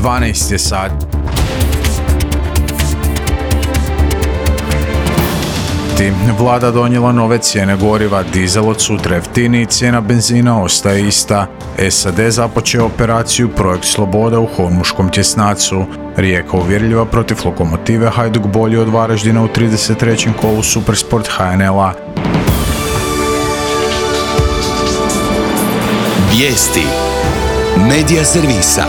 12 je sat. Vlada donijela nove cijene goriva, dizel od sutra jeftiniji, cijena benzina ostaje ista. SAD započeo operaciju Projekt Sloboda u Hormuškom tjesnacu. Rijeka uvjerljiva protiv Lokomotive, Hajduk bolji od Varaždina u 33. kolu Supersport HNL-a. Vijesti Medija servisa.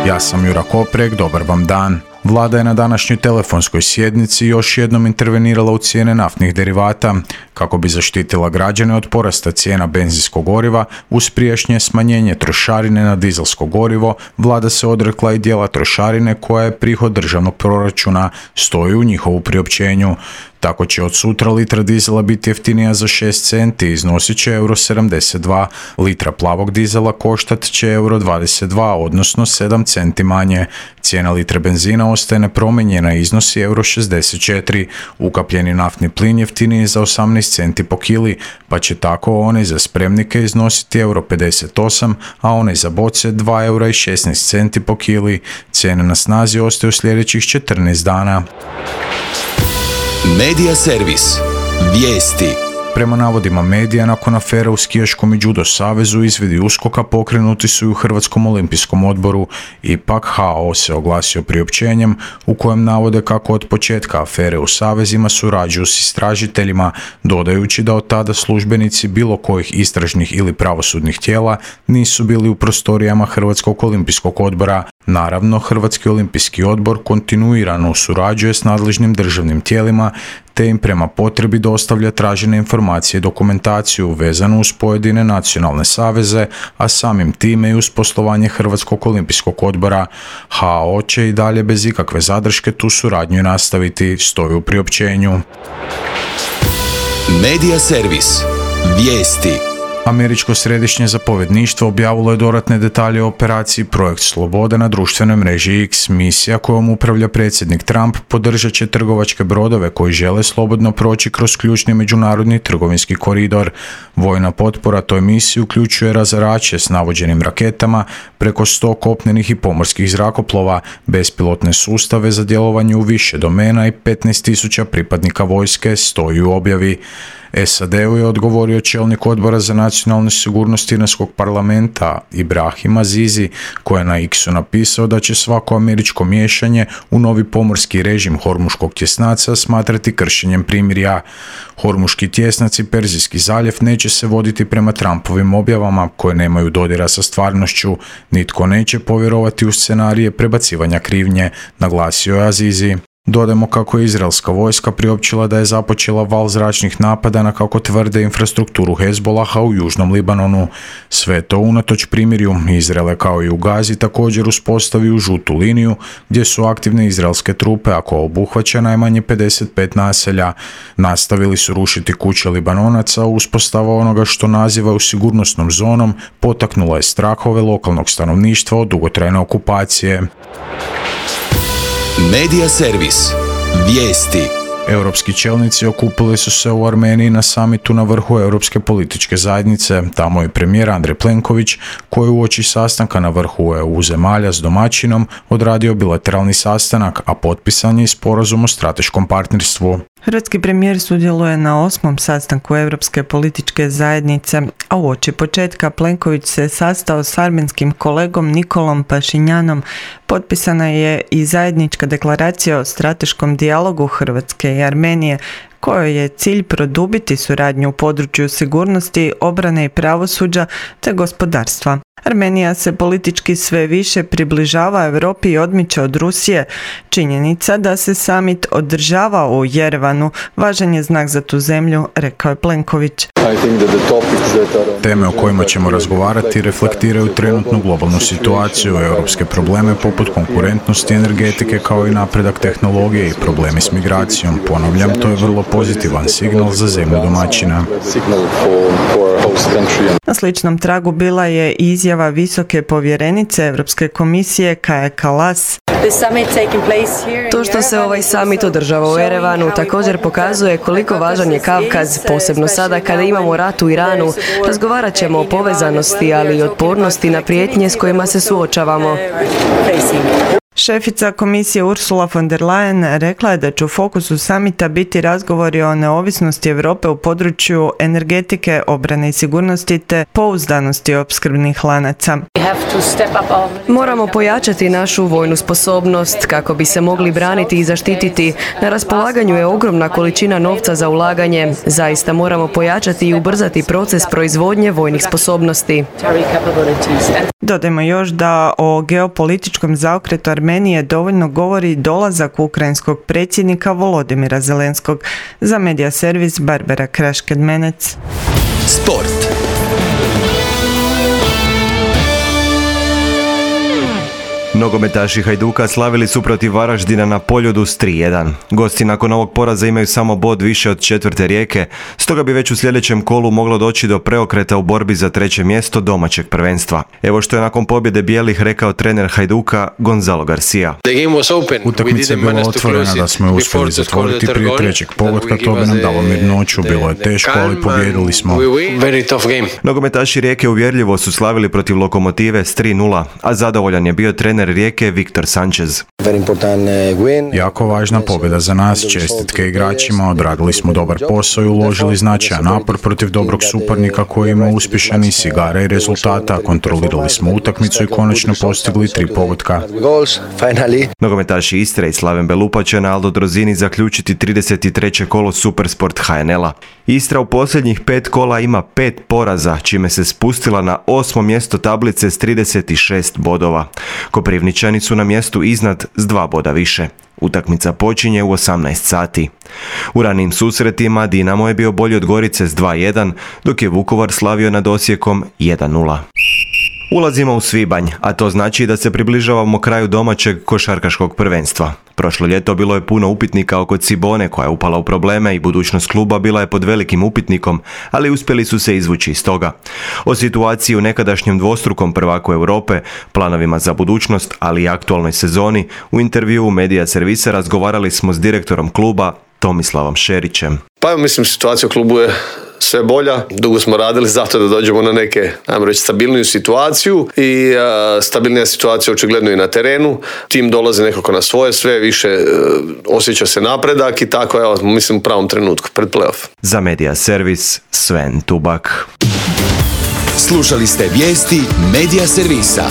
Ja sam Jura Koprek, dobar vam dan. Vlada je na današnjoj telefonskoj sjednici još jednom intervenirala u cijene naftnih derivata kako bi zaštitila građane od porasta cijena benzinskog goriva. Uz prijašnje smanjenje trošarine na dizelsko gorivo, vlada se odrekla i dijela trošarine koja je prihod državnog proračuna, stoji u njihovu priopćenju. Tako će od sutra litra dizela biti jeftinija za 6 centi i iznosit će €72. Litra plavog dizela koštat će €22, odnosno 7 centi manje. Cijena litre benzina ostaje nepromijenjena i iznosi €64. Ukapljeni naftni plin jeftiniji za 18 centi po kili, pa će tako onaj za spremnike iznositi €58, a onaj za boce €2,16 po kili. Cijene na snazi ostaju sljedećih 14 dana. Medija servis. Vijesti. Prema navodima medija, nakon afere u skijaškom i judo savezu, izvidi USKOK-a pokrenuti su i u Hrvatskom olimpijskom odboru. Ipak HO se oglasio priopćenjem u kojem navode kako od početka afere u savezima surađuju s istražiteljima, dodajući da od tada službenici bilo kojih istražnih ili pravosudnih tijela nisu bili u prostorijama Hrvatskog olimpijskog odbora. Naravno, Hrvatski olimpijski odbor kontinuirano surađuje s nadležnim državnim tijelima te im prema potrebi dostavlja tražene informacije i dokumentaciju vezanu uz pojedine nacionalne saveze, a samim time i uz poslovanje Hrvatskog olimpijskog odbora. HO će i dalje bez ikakve zadrške tu suradnju nastaviti, stoji u priopćenju. Medija servis. Vijesti. Američko središnje zapovjedništvo objavilo je dodatne detalje o operaciji Projekt Sloboda na društvenoj mreži X. Misija kojom upravlja predsjednik Trump podržat će trgovačke brodove koji žele slobodno proći kroz ključni međunarodni trgovinski koridor. Vojna potpora toj misiji uključuje razarače s navođenim raketama, preko 100 kopnenih i pomorskih zrakoplova, bespilotne sustave za djelovanje u više domena i 15.000 pripadnika vojske, stoji u objavi. SAD-u je odgovorio čelnik odbora za nacionalnu sigurnost Iranskog parlamenta Ibrahim Azizi, koji je na X-u napisao da će svako američko miješanje u novi pomorski režim Hormuškog tjesnaca smatrati kršenjem primirja. Hormuški tjesnac i Perzijski zaljev neće se voditi prema Trumpovim objavama koje nemaju dodira sa stvarnošću. Nitko neće povjerovati u scenarije prebacivanja krivnje, naglasio je Azizi. Dodajmo kako je izraelska vojska priopćila da je započela val zračnih napada na, kako tvrde, infrastrukturu Hezbolaha u južnom Libanonu. Sve to unatoč primirju. Izrael je kao i u Gazi također uspostavio žutu liniju gdje su aktivne izraelske trupe, a koja obuhvaća najmanje 55 naselja. Nastavili su rušiti kuće Libanonaca, uspostava onoga što nazivaju sigurnosnom zonom potaknula je strahove lokalnog stanovništva od dugotrajne okupacije. Medija servis. Vijesti. Europski čelnici okupili su se u Armeniji na samitu na vrhu Europske političke zajednice. Tamo je premijer Andrej Plenković, koji uoči sastanka na vrhu EU zemalja s domaćinom odradio bilateralni sastanak, a potpisan je sporazum o strateškom partnerstvu. Hrvatski premijer sudjeluje na 8. sastanku Europske političke zajednice, a uoči početka Plenković se sastao s armenskim kolegom Nikolom Pašinjanom. Potpisana je i zajednička deklaracija o strateškom dijalogu Hrvatske i Armenije, kojoj je cilj produbiti suradnju u području sigurnosti, obrane i pravosuđa te gospodarstva. Armenija se politički sve više približava Europi i odmiče od Rusije. Činjenica da se samit održava u Jerevanu važan je znak za tu zemlju, rekao je Plenković. Teme o kojima ćemo razgovarati reflektiraju trenutnu globalnu situaciju, europske probleme poput konkurentnosti, energetike kao i napredak tehnologije i problemi s migracijom. Ponavljam, to je vrlo pozitivan signal za zemlju domaćina. Na sličnom tragu bila je izjava visoke povjerenice Europske komisije Kaje Kallas. To što se ovaj summit održava u Erevanu također pokazuje koliko važan je Kavkaz, posebno sada kada imamo rat u Iranu. Razgovarat ćemo o povezanosti, ali i otpornosti na prijetnje s kojima se suočavamo. Šefica komisije Ursula von der Leyen rekla je da će u fokusu samita biti razgovori o neovisnosti Europe u području energetike, obrane i sigurnosti te pouzdanosti opskrbnih lanaca. Moramo pojačati našu vojnu sposobnost kako bi se mogli braniti i zaštititi. Na raspolaganju je ogromna količina novca za ulaganje. Zaista moramo pojačati i ubrzati proces proizvodnje vojnih sposobnosti. Dodajmo još da o geopolitičkom zaokretu Armenije dovoljno govori dolazak ukrajinskog predsjednika Volodimira Zelenskog. Za Media Servis Barbara Krašked-Menec. Sport. Nogometaši Hajduka slavili su protiv Varaždina na Poljudu s 3:1. Gosti nakon ovog poraza imaju samo bod više od četvrte Rijeke, stoga bi već u sljedećem kolu moglo doći do preokreta u borbi za treće mjesto domaćeg prvenstva. Evo što je nakon pobjede bijelih rekao trener Hajduka Gonzalo Garcia. Utakmica je bila otvorena, da smo je uspjeli zatvoriti prije trećeg pogotka, to bi nam dalo mirnoću, bilo je teško, ali pobjedili smo. Nogometaši Rijeke uvjerljivo su slavili protiv Lokomotive s 3:0, a zadovoljan je bio trener Rijeke Viktor Sanchez. Jako važna pobjeda za nas, čestitke igračima, odradili smo dobar posao i uložili značajan napor protiv dobrog suparnika koji ima uspješan niz igara i rezultata, kontrolirali smo utakmicu i konačno postigli 3 pogotka. Nogometaši Istre i Slaven Belupa će na Aldo Drozini zaključiti 33. kolo Supersport HNL-a. Istra u posljednjih 5 kola ima 5 poraza, čime se spustila na 8. mjesto tablice s 36 bodova. Koprivničani su na mjestu iznad s 2 boda više. Utakmica počinje u 18 sati. U ranijim susretima Dinamo je bio bolji od Gorice s 2:1, dok je Vukovar slavio nad Osijekom 1:0. Ulazimo u svibanj, a to znači da se približavamo kraju domaćeg košarkaškog prvenstva. Prošlo ljeto bilo je puno upitnika oko Cibone koja je upala u probleme i budućnost kluba bila je pod velikim upitnikom, ali uspjeli su se izvući iz toga. O situaciji u nekadašnjem dvostrukom prvaku Europe, planovima za budućnost, ali i aktualnoj sezoni, u intervjuu Media Servisa razgovarali smo s direktorom kluba Tomislavom Šerićem. Pa mislim, situacija u klubu je sve bolja. Dugo smo radili zato da dođemo na neke, ajmo reći, stabilniju situaciju i stabilnija situacija očigledno i na terenu. Tim dolazi nekako na svoje, sve više osjeća se napredak i tako, evo, mislim, u pravom trenutku pred play-off. Za Media Servis, Sven Tubak. Slušali ste vijesti Media Servisa.